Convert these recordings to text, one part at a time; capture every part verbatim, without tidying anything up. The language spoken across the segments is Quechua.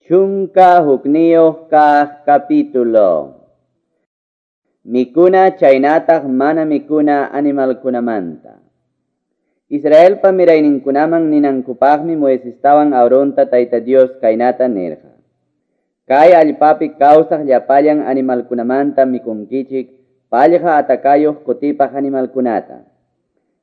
Chunka hukniyuq kaq capítulo. Mikuna chaynataq mana mikuna animalkunamanta. Israelpa mirayninkunaman ninankupaqmi Moisestawan Aaronta Tayta Dios kaynata nirqa. Kay allpapi kawsaq llapallan animalkunamanta mikunkichik pallqa atakayuq kutipaq animalkunata.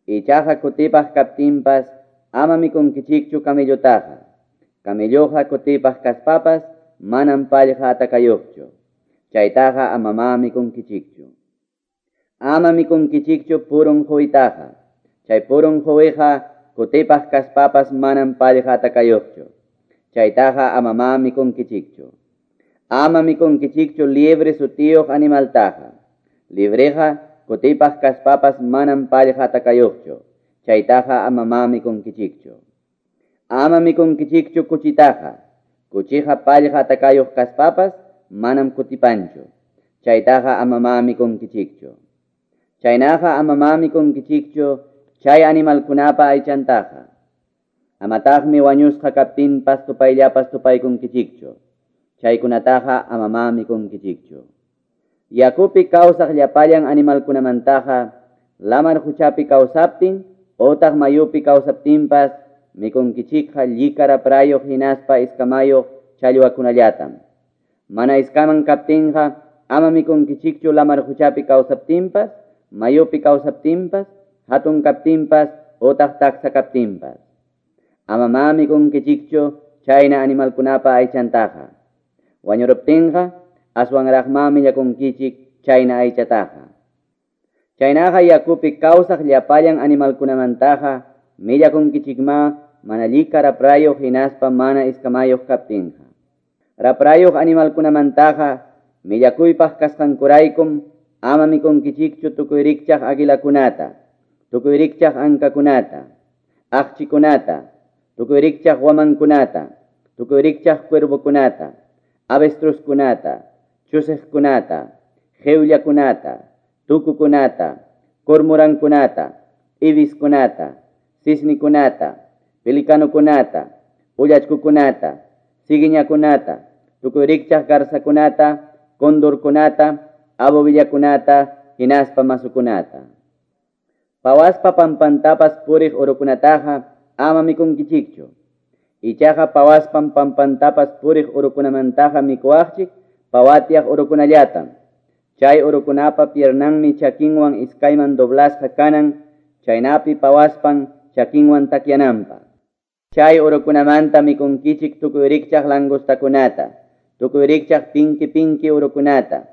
Ichaqa kutipaq kaptinpas ama mikunkichikchu camellutaqa. Camelluqa kutipaq kaspapas manam pallqa atakayuqchu. Chaytaqa amama mikunkichikchu. Ama mikunkichikchu purun quwitaqa. Chay purun quwiqa kutipaq kaspapas manam pallqa atakayuqchu. Chaytaqa amama mikunkichikchu. Ama mikunkichikchu liebre sutiyuq animaltaqa. Libreqa kutipaq kaspapas manam pallqa atakayuqchu. Chaytaqa amama mikunkichikchu. Ama mikunkichikchu kuchitaqa. Kuchiqa pallqa atakayuq kaspapas manam kutipanchu. Chaytaqa amama mikunkichikchu. Chaynaqa amama mikunkichikchu chay animalkunapa aychantaqa. Amataqmi wañusqa kaptinpas tupayllapas tupaykunkichikchu. Chaykunataqa amama mikunkichikchu. Yakupi kawsaq llapallan animalkunamantaqa lamar quchapi kawsaptin otaq mayupi kawsaptinpas mikunkichikqa llika raprayuq hinaspa iskamayuq challwakunallatam. Mana iskaman kaptinqa ama mikunkichikchu lamar quchapi kawsaptinpas, mayupi kawsaptinpas, hatun kaptinpas otaq taksa kaptinpas. Ama ma mikunkichikchu chayna animalkunapa aychantaqa. Wañuruptinqa aswanraqma millakunkichik chayna aychataqa. Chaynaqa yakupi kawsaq llapallan animalkunamantaqa millakunkichikma mana llika raprayuq hinaspa mana iskamayuq kaptinqa. Raprayuq animalkunamantaqa millakuypaq kasqankuraykum ama mikunkichikchu tukuy rikchaq aguilakunata, tukuy rikchaq ankakunata, aqchikunata, tukuy rikchaq wamankunata, tukuy rikchaq cuervokunata, avestruzkunata, chusiqkunata, qhiwllakunata, tukukunata, cormorankunata, ibiskunata, cisnikunata, pelikanukunata, ullachkukunata, ciguiñakunata, tukuy rikchaq garzakunata, condorkunata, abovillakunata, hinaspa masukunata. Pawaspa pampantapas puriq urukunataqa ama mikunkichikchu. Ichaqa pawaspam pampantapas puriq urukunamantaqa mikuwaqchik pawatiaq urukunallatam. Chay urukunapa piernanmi chakinwan iskayman doblasqa kanan, chaynapi pawaspan chakinwan takyananpaq. Chay urukunamanta mikunkichik tukuy rikchaq langostakunata, tukuy rikchaq pinki pinki urukunata,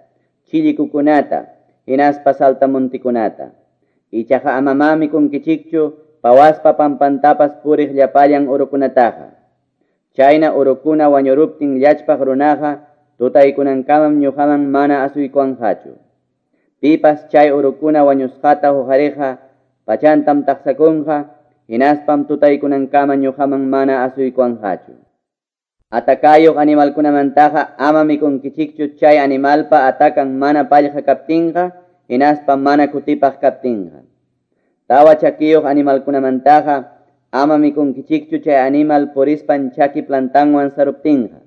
chillikukunata, hinaspa saltamontikunata. Ichaqa amama mikunkichikchu pawaspa pampantapas puriq llapallan urukunataqa. Chayna urukuna wañuruptin llachpaq runaqa tutaykunankamam ñuqaman mana asuykuwanqachu. Pipas chay urukuna wañusqata huqariqa pachantam taqsakunqa, hinaspam tutaykunankama ñuqaman mana asuykuwanqachu. Atakayuq animalkunamantaqa ama mikunkichikchu chay animalpa atakan mana pallqa kaptinqa, hinaspa mana kutipaq kaptinqa. Tawa chakiyuq animalkunamantaqa ama mikunkichikchu chay animal purispan chaki plantanwan saruptinqa.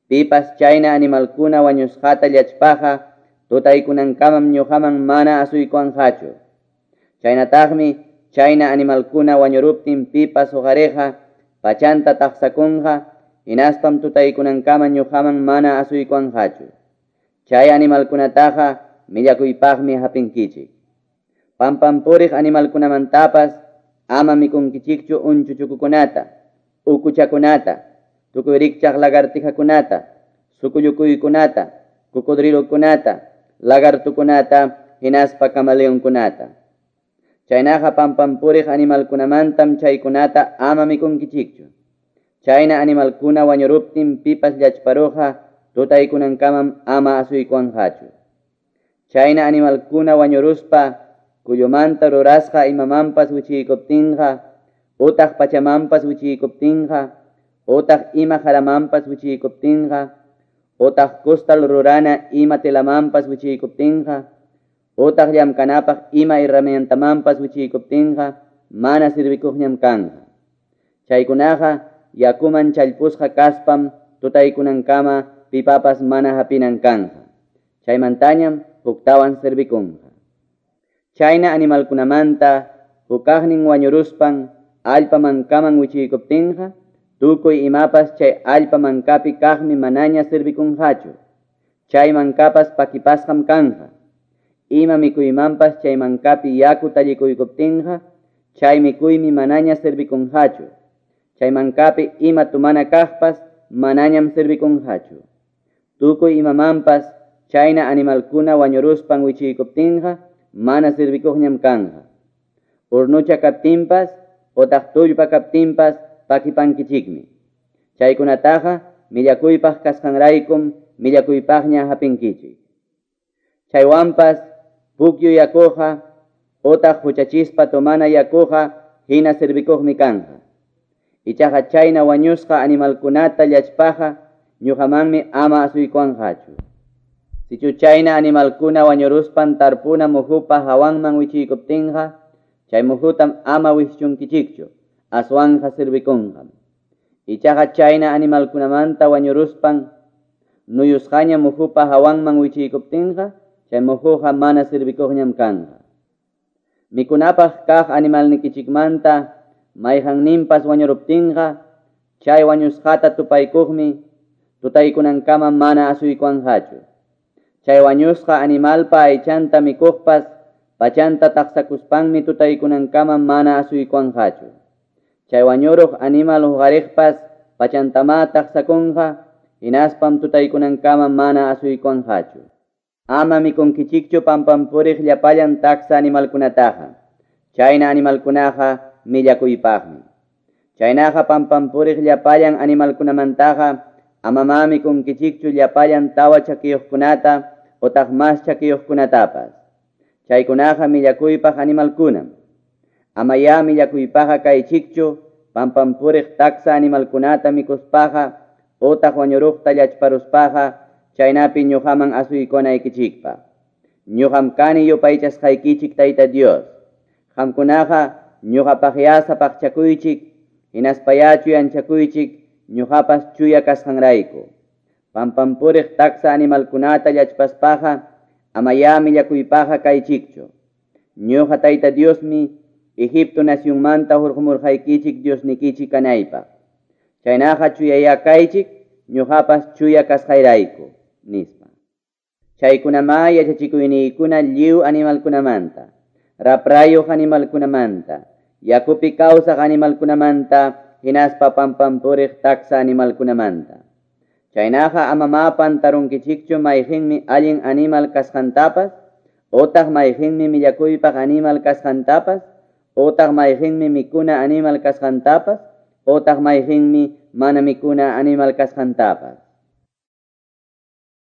Pipas chayna animalkuna wañusqata llachpaqa tutaykunankamam ñuqaman mana asuykuwanqachu. Chaynataqmi chayna animalkuna wañuruptin pipas huqariqa pachanta taqsakunqa, hinaspam tutaykunankama ñuqaman mana asuykuwanqachu. Chay animalkunataqa millakuypaqmi hapinkichik. Pampampuriq animalkunamantapas ama mikunkichikchu unchuchukukunata, ukuchakunata, tukuy rikchaq lagartijakunata, sukullukuykunata, cocodrilokunata, lagartukunata, hinaspa camaleonkunata. Chaynaqa pampampuriq animalkunamantam chaykunata ama mikunkichikchu. Chayna animalkuna wañuruptin pipas llachparuqa tutaykunankamam ama asuykuwanqachu. Chayna animalkuna wañuruspa kullumanta rurasqa imamanpas wichiykuptinqa, utaq pachamanpas wichiykuptinqa, utaq ima jaramanpas wichiykuptinqa, utaq kustal rurana ima telamanpas wichiykuptinqa, utaq llamkanapaq ima herramientamanpas wichiykuptinqa, mana sirvikuqñam kanqa. Chaykunaqa yakuman challpusqa kaspam tutaykunankama pipapas mana hapinan kanqa. Chaymantañam huktawan servikunqa. Chayna animalkunamanta hukaqnin wañuruspan allpa mankaman wichiykuptinqa, tukuy imapas chay allpa mankapi kaqmi manaña servikunqachu. Chay mankapas pakipasqam kanqa. Ima mikuymanpas chay mankapi yaku tallikuykuptinqa, chay mikuymi manaña servikunqachu. Chay mankapi ima tumana kaqpas manañam servikunqachu. Tukuy imamanpas chayna animalkuna wañuruspan wichiykuptinqa, mana servikuqñam kanqa. Urnucha kaptinpas otaq tullpa kaptinpas pakipankichikmi. Chaykunataqa millakuypaq kasqanraykum millakuypaqña hapinkichik. Chaywanpas pukyu yakuqa otaq huchachispa tomana yakuqa hina servikuqmi kanqa. Ichaqa chayna wañusqa animalkunata llachpaqa ñuqamanmi ama asuykuwanqachu. Sichu chayna animalkuna wañuruspan tarpuna muhupa hawanman wichiykuptinqa, chay muhutam ama wischunkichikchu, aswanja servikunqam. Ichaqa chayna animalkunamanta wañuruspan nuyusqaña muhupa hawanman wichiykuptinqa, chay muhuqa mana servikuqñam kanqa. Mikunapaq kaq animalnikichikmanta mayqanninpas wañuruptinqa, chay wañusqata tupaykuqmi tutaykunankama mana asuykuwanqachu. Chay wañusqa animalpa aychanta mikuqpas pachanta taqsakuspanmi tutaykunankama mana asuykuwanqachu. Chay wañuruq animal huqariqpas pachantama taqsakunqa, hinaspam tutaykunankama mana asuykuwanqachu. Ama mikunkichikchu pampampuriq llapallan taksa animalkunataqa. Chayna animalkunaqa millakuypaqmi. Chaynaqa pampampuriq llapallan animalkunamantaqa amama mikunkichikchu llapallan tawa chakiyuqkunata otaq mas chakiyuqkunatapas. Chaykunaqa millakuypaq animalkunam. Amaya millakuypaqa kaychikchu pampampuriq taksa animalkunata mikuspaqa otaq wañuruqta llachparuspaqa, chaynapi ñuqaman asuykunaykichikpaq. Ñuqam kani yupaychasqaykichik Tayta Dios. Qamkunaqa ñuqapaqya sapaqchakuychik, hinaspaya chuyanchakuychik ñuqapas chuya kasqanrayku. Pampampuriq taksa animalkunata llachpaspaqa amaya millakuypaqa kaychikchu. Ñuqa Tayta Diosmi Egipto nacionmanta hurqumurqaykichik Diosnikichik kanaypaq. Chaynaqa chuyaya kaychik ñuqapas chuya kasqayrayku, nispa. Chaykunamá yachachikuyniykuna lliw animalkunamanta, raprayuq animalkunamanta, yakupi kawsaq animalkunamanta, hinaspa pampampuriq taksa animalkunamanta. Chaynaqa amama pantarunkichikchu mayqinmi allin animal kasqantapas, otaq mayqinmi millakuypaq animal kasqantapas, otaq mayqinmi mikuna animal kasqantapas, otaq mayqinmi mana mikuna animal kasqantapas.